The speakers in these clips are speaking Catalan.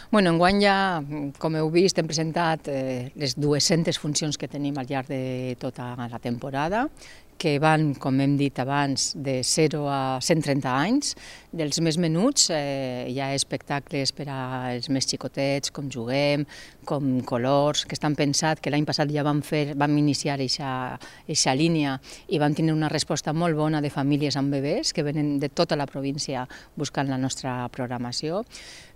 Enguany ja, com heu vist, hem presentat les 200 funcions que tenim al llarg de tota la temporada, que van, com hem dit abans, de 0 a 130 anys. Dels més menuts hi ha espectacles per als més xicotets, com Juguem, com Colors, que estan pensats, que l'any passat ja vam iniciar aquesta línia i vam tenir una resposta molt bona de famílies amb bebès que venen de tota la província buscant la nostra programació.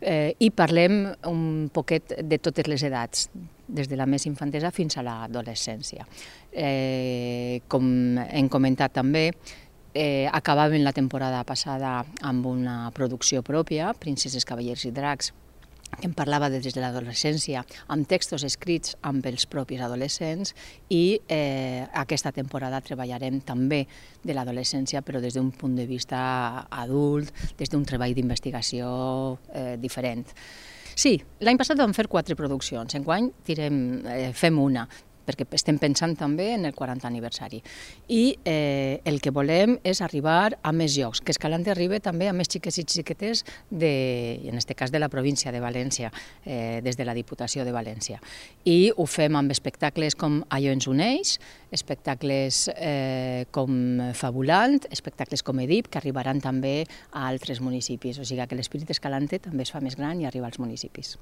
I parlem un poquet de totes les edats, des de la més infantesa fins a l'adolescència. Com hem comentat també, acabàvem la temporada passada amb una producció pròpia, Princeses, Cavallers i Dracs, que em parlava des de l'adolescència, amb textos escrits amb els propis adolescents, i aquesta temporada treballarem també de l'adolescència, però des d'un punt de vista adult, des d'un treball d'investigació diferent. Sí, l'any passat vam fer 4 produccions, enguany fem una, perquè estem pensant també en el 40 aniversari. I el que volem és arribar a més llocs, que Escalante arribi també a més xiques i xiquetes, en aquest cas de la província de València, des de la Diputació de València. I ho fem amb espectacles com Allò ens uneix, espectacles com Fabulant, espectacles com Edip, que arribaran també a altres municipis. O sigui que l'Espírit Escalante també es fa més gran i arriba als municipis.